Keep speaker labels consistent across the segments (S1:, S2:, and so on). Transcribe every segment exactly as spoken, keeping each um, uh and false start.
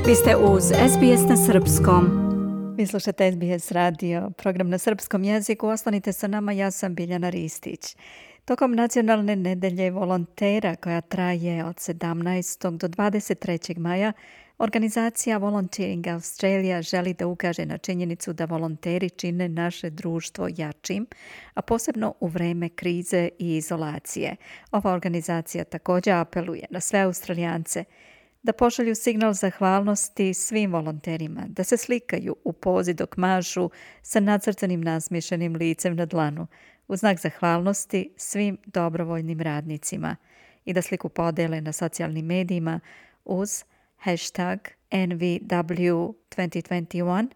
S1: Vi ste uz S B S na srpskom. Vi slušate S B S radio, program na srpskom jeziku. Ostanite sa nama, ja sam Biljana Ristić. Tokom nacionalne nedelje volontera koja traje od sedamnaestog do dvadeset trećeg maja, organizacija Volunteering Australia želi da ukaže na činjenicu da volonteri čine naše društvo jačim, a posebno u vreme krize i izolacije. Ova organizacija također apeluje na sve Australijance da pošalju signal zahvalnosti svim volonterima, da se slikaju u pozi dok mašu sa nacrtanim nasmiješenim licem na dlanu, u znak zahvalnosti svim dobrovoljnim radnicima i da sliku podele na socijalnim medijima uz hashtag N V W dvanaest dvadeset jedan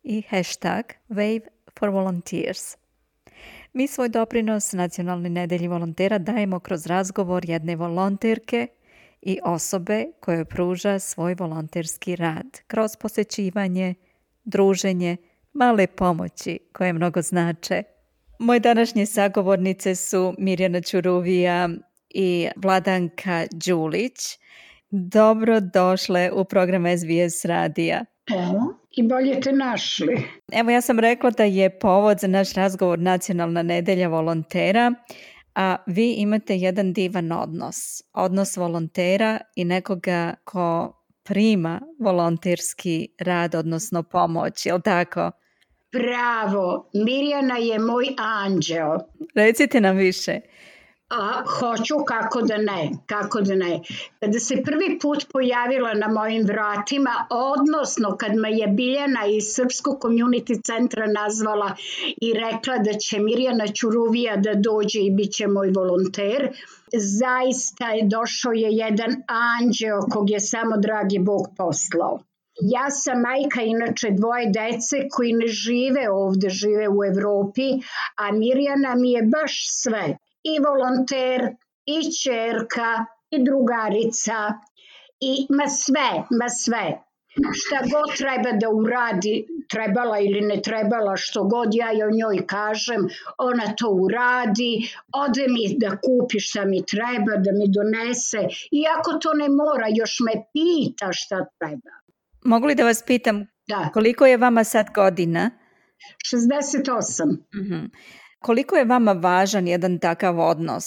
S1: i hashtag Wave for Volunteers. Mi svoj doprinos Nacionalnoj nedelji volontera dajemo kroz razgovor jedne volonterke i osobe koje pruža svoj volonterski rad, kroz posjećivanje, druženje, male pomoći koje mnogo znače. Moje današnje sagovornice su Mirjana Ćuruvija i Vladanka Đulić. Dobro došle u program S B S radija.
S2: Evo, i bolje te našli.
S1: Evo, ja sam rekla da je povod za naš razgovor Nacionalna nedelja volontera, a vi imate jedan divan odnos. Odnos volontera i nekoga ko prima volonterski rad, odnosno pomoć, je li tako?
S2: Bravo, Mirjana je moj anđeo.
S1: Recite nam više.
S2: A, hoću, kako da ne, kako da ne. Kada se prvi put pojavila na mojim vratima, odnosno kad me je Biljana iz Srpskog community centra nazvala i rekla da će Mirjana Ćuruvija da dođe i bit će moj volonter, zaista je došao je jedan anđeo kog je samo dragi Bog poslao. Ja sam majka inače dvoje dece koji ne žive ovdje, žive u Evropi, a Mirjana mi je baš sve. I volonter, i ćerka, i drugarica, i ma sve, ma sve. Šta god treba da uradi, trebala ili ne trebala, što god ja o njoj kažem, ona to uradi, ode mi da kupi šta mi treba, da mi donese, iako to ne mora, još me pita šta treba.
S1: Mogu li da vas pitam,
S2: da.
S1: Koliko je vama sad godina?
S2: šezdeset osam.
S1: Mhm. Koliko je vama važan jedan takav odnos?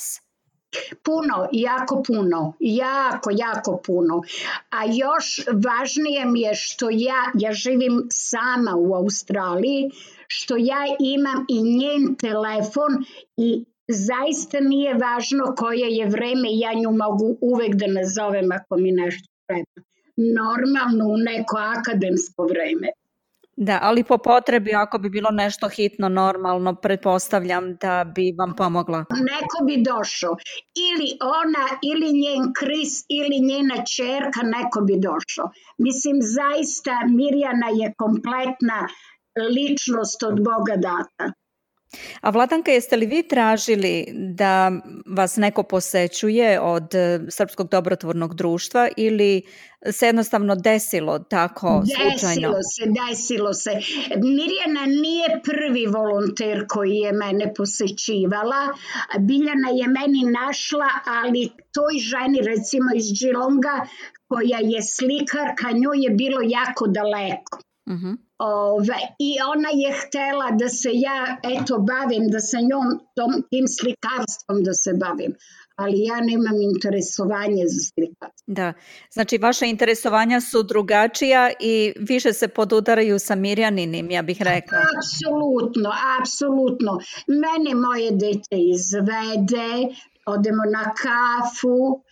S2: Puno, jako puno, jako, jako puno. A još važnije mi je što ja, ja živim sama u Australiji, što ja imam i njen telefon i zaista nije važno koje je vreme, ja nju mogu uvek da nazovem ako mi nešto treba. Normalno u neko akademsko vreme.
S1: Da, ali po potrebi, ako bi bilo nešto hitno, normalno, pretpostavljam da bi vam pomogla.
S2: Neko bi došao. Ili ona, ili njen Kris, ili njena ćerka, neko bi došao. Mislim, zaista Mirjana je kompletna ličnost od Boga data.
S1: A Vladanka, jeste li vi tražili da vas neko posećuje od Srpskog dobrotvornog društva ili se jednostavno desilo tako slučajno?
S2: Desilo se, desilo se. Mirjana nije prvi volonter koji je mene posećivala. Biljana je meni našla, ali toj ženi, recimo iz Geelonga, koja je slikarka, njoj je bilo jako daleko.
S1: Mhm.
S2: Ove, i ona je htela da se ja eto bavim, da sa njom tom, tim slikarstvom da se bavim, ali ja nemam interesovanje za slikarstvo.
S1: Da, znači vaše interesovanja su drugačija i više se podudaraju sa Mirjaninim, ja bih rekla.
S2: Apsolutno, apsolutno. Mene moje dete izvede, odemo na kafu,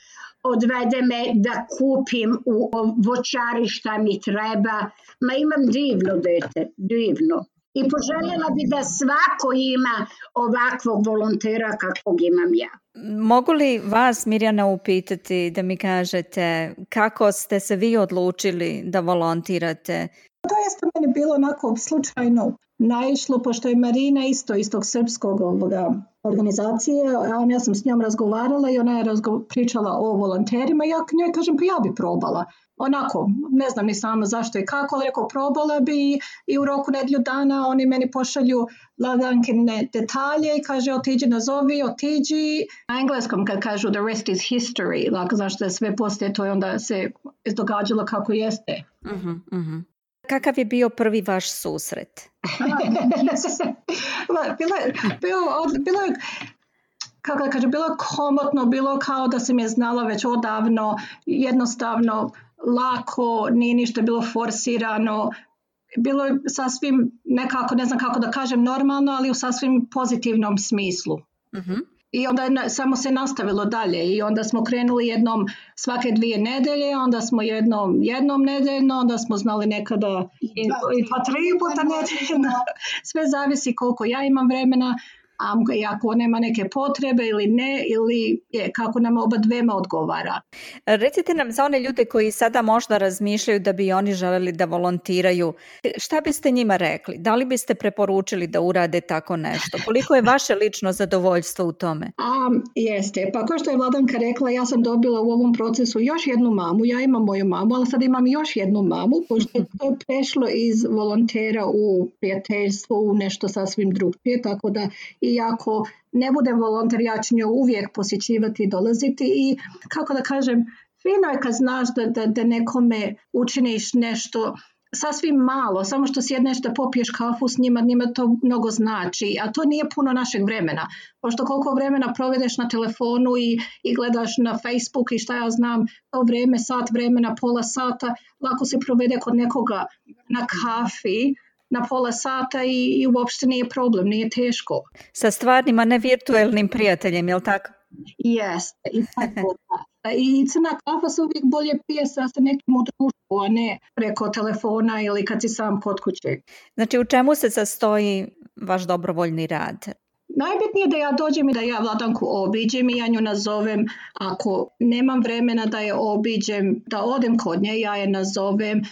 S2: odvede me da kupim u voćari šta mi treba. Ma imam divno dete, divno. I poželjela bi da svako ima ovakvog volontera kakvog imam ja.
S1: Mogu li vas, Mirjana, upitati da mi kažete kako ste se vi odlučili da volontirate?
S3: To je meni bilo onako slučajno. naišlo, pošto je Marina isto iz tog srpskog ovoga organizacije, a ja sam s njom razgovarala i ona je razgo- pričala o volonterima i ja njoj kažem pa ja bi probala. Onako, ne znam ni sama zašto i kako, ali rekao probala bi i u roku nedlju dana oni meni pošalju Ladankine detalje i kaže otiđi nazovi, otiđi. Na engleskom kad kažu the rest is history, like, zašto je sve poslije to i onda se događalo kako jeste.
S1: Uh-huh, uh-huh. Kakav je bio prvi vaš susret?
S3: bilo je, bilo, bilo je kako da kažem, bilo je komotno, bilo kao da sam je znala već odavno, jednostavno, lako, nije ništa bilo forsirano, bilo je sasvim nekako, ne znam kako da kažem, normalno, ali u sasvim pozitivnom smislu. Uh-huh. I onda je samo se nastavilo dalje i onda smo krenuli jednom svake dvije nedelje, onda smo jednom, jednom nedeljno, onda smo znali nekada i, i pa tri puta nedeljno. Sve zavisi koliko ja imam vremena, a ako nema neke potrebe ili ne, ili je, kako nam oba dvema odgovara.
S1: Recite nam za one ljude koji sada možda razmišljaju da bi oni želeli da volontiraju, šta biste njima rekli? Da li biste preporučili da urade tako nešto? Koliko je vaše lično zadovoljstvo u tome?
S3: A, jeste, pa kao što je Vladanka rekla, ja sam dobila u ovom procesu još jednu mamu, ja imam moju mamu, ali sad imam još jednu mamu, pošto je to prešlo iz volontera u prijateljstvo, u nešto sasvim drugčije, tako da i ako ne budem volonter, ja ću nju uvijek posjećivati i dolaziti i kako da kažem, fino je kad znaš da, da, da nekome učiniš nešto sasvim malo, samo što sjedneš da popiješ kafu s njima, njima to mnogo znači, a to nije puno našeg vremena, pošto koliko vremena provedeš na telefonu i, i gledaš na Facebook i šta ja znam, to vrijeme, sat vremena, pola sata, lako se provede kod nekoga na kafi, na pola sata i, i uopšte nije problem, nije teško.
S1: Sa stvarnim, a ne virtualnim prijateljem, je li tako?
S3: Jeste, i tako da. I crna kafa se uvijek bolje pije sa nekim u društvu, a ne preko telefona ili kad si sam kod kuće.
S1: Znači, u čemu se sastoji vaš dobrovoljni rad?
S3: Najbitnije da ja dođem i da ja Vladanku obiđem i ja nju nazovem. Ako nemam vremena da je obiđem, da odem kod nje, ja je nazovem.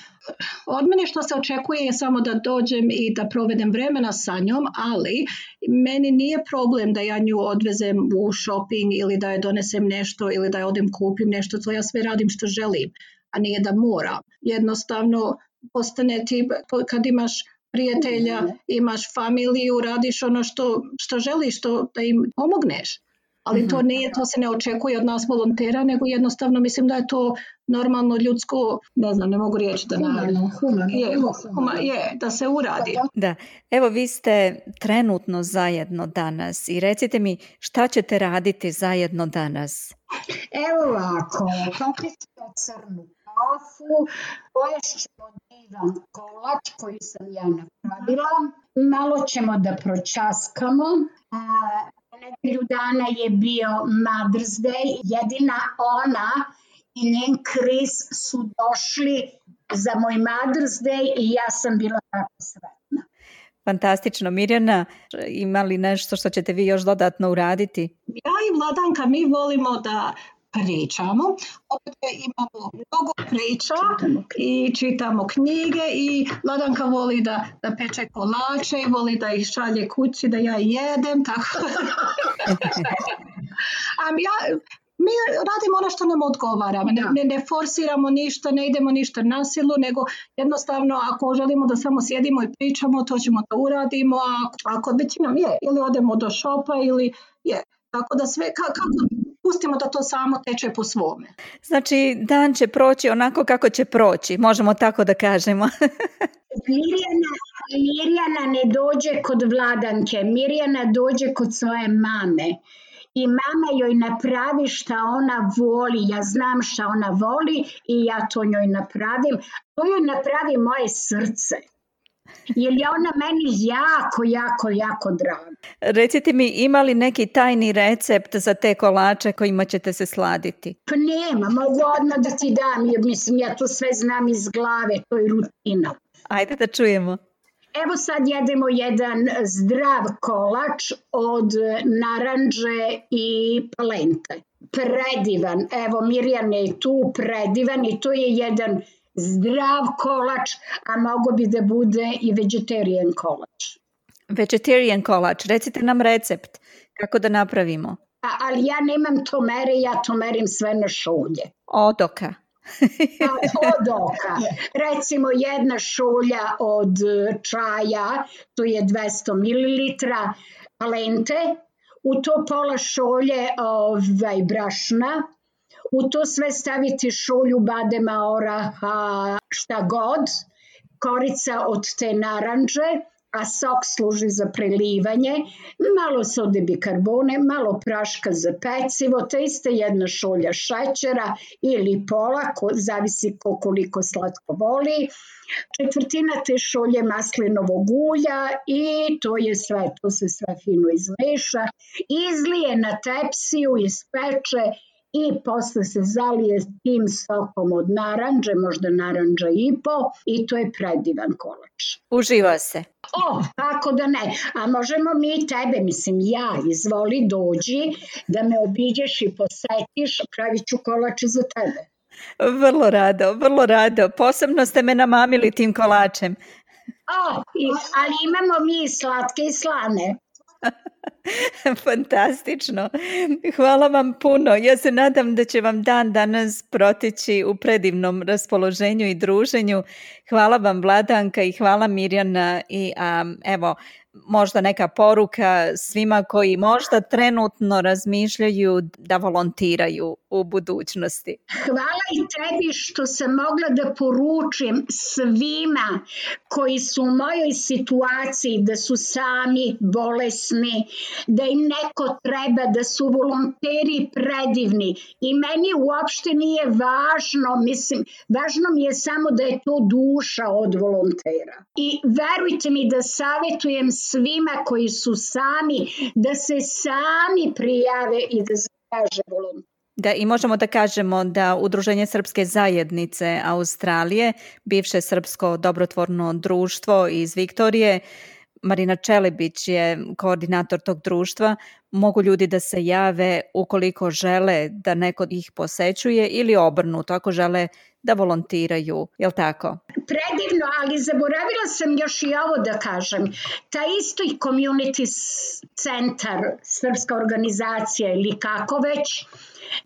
S3: Od mene što se očekuje je samo da dođem i da provedem vremena sa njom, ali meni nije problem da ja nju odvezem u shopping ili da je donesem nešto ili da je odem kupim nešto, to ja sve radim što želim, a nije da moram. Jednostavno postane ti, kad imaš prijatelja, imaš familiju, radiš ono što, što želiš, što, da im pomogneš. Ali to nije, to se ne očekuje od nas volontera, nego jednostavno mislim da je to normalno ljudsko, ne znam, ne mogu reći da
S2: humano, humano,
S3: je, huma, je, da se uradi.
S1: Da, evo vi ste trenutno zajedno danas i recite mi šta ćete raditi zajedno danas?
S2: Evo ovako, popit ćemo crnu kafu, poješćemo divan kolač koji sam ja napravila, malo ćemo da pročaskamo. Nedelju dana je bio Mother's Day, jedina ona i njen Chris su došli za moj Mother's Day i ja sam bila tako sretna.
S1: Fantastično. Mirjana, ima li nešto što ćete vi još dodatno uraditi?
S3: Ja i Vladanka, mi volimo da pričamo. Opet imamo mnogo priča čitamo. I čitamo knjige i Vladanka voli da, da peče kolače i voli da ih šalje kući da ja jedem. Tako. um, ja, mi radimo ono što nam odgovara. Ne, ne, ne forsiramo ništa, ne idemo ništa na silu, nego jednostavno ako želimo da samo sjedimo i pričamo, to ćemo da uradimo. A ako većinom je, ili odemo do šopa ili je. Tako da sve, kako, pustimo da to samo teče po svome.
S1: Znači, dan će proći onako kako će proći, možemo tako da kažemo.
S2: Mirjana, Mirjana ne dođe kod Vladanke, Mirjana dođe kod svoje mame. I mama joj napravi šta ona voli, ja znam šta ona voli i ja to njoj napravim. To joj napravi moje srce. Jer je ona meni jako, jako, jako draga.
S1: Recite mi, ima li neki tajni recept za te kolače kojima ćete se sladiti?
S2: Pa nema, mogu odmah da ti dam, jer mislim ja to sve znam iz glave, to je rutina.
S1: Ajde da čujemo.
S2: Evo sad jedemo jedan zdrav kolač od naranđe i palente. Predivan, evo Mirjana je tu, predivan i to je jedan zdrav kolač, a mogo bi da bude i vegetarian kolač.
S1: Vegetarian kolač, recite nam recept kako da napravimo.
S2: A, ali ja nemam to mere, ja to merim sve na šolje.
S1: Od oka.
S2: Od oka. Recimo jedna šolja od čaja, to je dvesta mililitara palente, u to pola šolje ovaj, brašna, u to sve staviti šolju badema, oraha, šta god, korica od te naranđe, a sok služi za prelivanje, malo sode bikarbone, malo praška za pecivo, te iste jedna šolja šećera ili pola, ko, zavisi ko koliko slatko voli, četvrtina te šolje maslinovog ulja i to je sve, to se sve fino izmeša, izlije na tepsiju, ispeče i posle se zalije tim sokom od naranđe, možda naranđa i po, i to je predivan kolač.
S1: Uživa se.
S2: O, kako da ne. A možemo mi tebe, mislim ja, izvoli dođi da me obiđeš i posetiš, pravit ću kolače za tebe.
S1: Vrlo rado, vrlo rado. Posebno ste me namamili tim kolačem.
S2: O, i, ali imamo mi slatke i slane.
S1: Fantastično. Hvala vam puno. Ja se nadam da će vam dan danas proteći u predivnom raspoloženju i druženju. Hvala vam Vladanka i hvala Mirjana i um, evo možda neka poruka svima koji možda trenutno razmišljaju da volontiraju u budućnosti.
S2: Hvala i tebi što sam mogla da poručim svima koji su u mojoj situaciji, da su sami bolesni, da im neko treba, da su volonteri predivni. I meni uopšte nije važno, mislim, važno mi je samo da je to duša od volontera. I verujte mi da savjetujem svima koji su sami, da se sami prijave i da zatraže volonter.
S1: Da, i možemo da kažemo da Udruženje Srpske zajednice Australije, bivše srpsko dobrotvorno društvo iz Viktorije, Marina Čelebić je koordinator tog društva, mogu ljudi da se jave ukoliko žele da neko ih posećuje ili obrnuto, ako žele da volontiraju, je li tako?
S2: Predivno, ali zaboravila sam još i ovo da kažem. Ta isto i community centar, srpska organizacija ili kako već,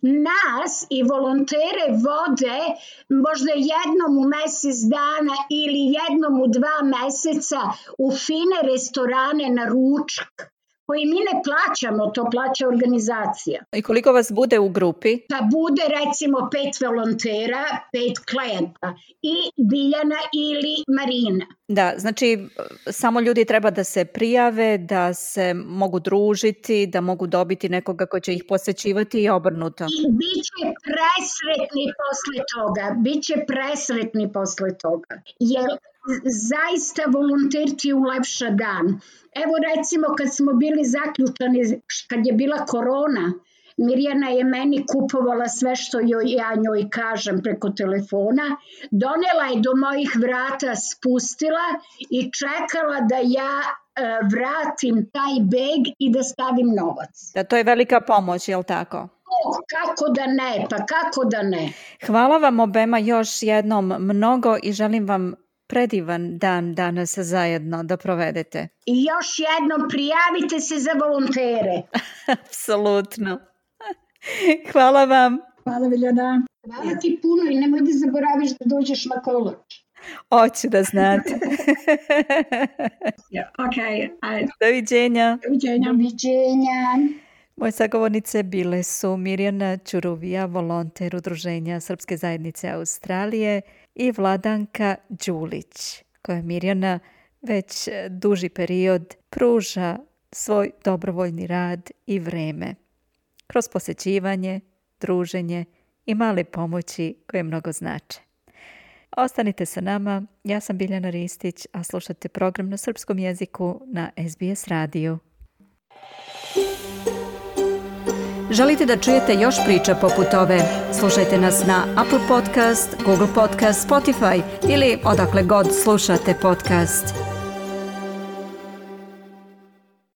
S2: nas i volontere vode možda jednom u mesec dana ili jednom u dva meseca u fine restorane na ručak, koji mi ne plaćamo, to plaća organizacija.
S1: I koliko vas bude u grupi?
S2: Pa bude recimo pet volontera, pet klijenta i Biljana ili Marina.
S1: Da, znači samo ljudi treba da se prijave, da se mogu družiti, da mogu dobiti nekoga ko će ih posećivati i obrnuto.
S2: I bit će presretni posle toga, bit će presretni posle toga. Jer zaista volonter ti ulepša dan. Evo recimo kad smo bili zaključani, kad je bila korona, Mirjana je meni kupovala sve što joj, ja njoj kažem preko telefona, donela je do mojih vrata, spustila i čekala da ja e, vratim taj beg i da stavim novac.
S1: Da, to je velika pomoć, je li tako?
S2: O, kako da ne, pa kako da ne.
S1: Hvala vam obema još jednom mnogo i želim vam predivan dan danas zajedno da provedete.
S2: I još jednom prijavite se za volontere.
S1: Apsolutno. Hvala vam.
S3: Hvala Biljana.
S2: Hvala ti puno i nemoj da zaboraviš da dođeš na kolač.
S1: Hoću da znate.
S3: yeah, okay. I...
S1: Doviđenja.
S3: Doviđenja.
S2: Doviđenja.
S1: Moje sagovornice bile su Mirjana Ćuruvija, volonter Udruženja Srpske zajednice Australije i Vladanka Đulić, koja Mirjana već duži period pruža svoj dobrovoljni rad i vreme kroz posećivanje, druženje i male pomoći koje mnogo znače. Ostanite sa nama, ja sam Biljana Ristić, a slušate program na srpskom jeziku na S B S radiju. Želite da čujete još priča poput ove? Slušajte nas na Apple Podcast, Google Podcast, Spotify ili odakle god slušate podcast.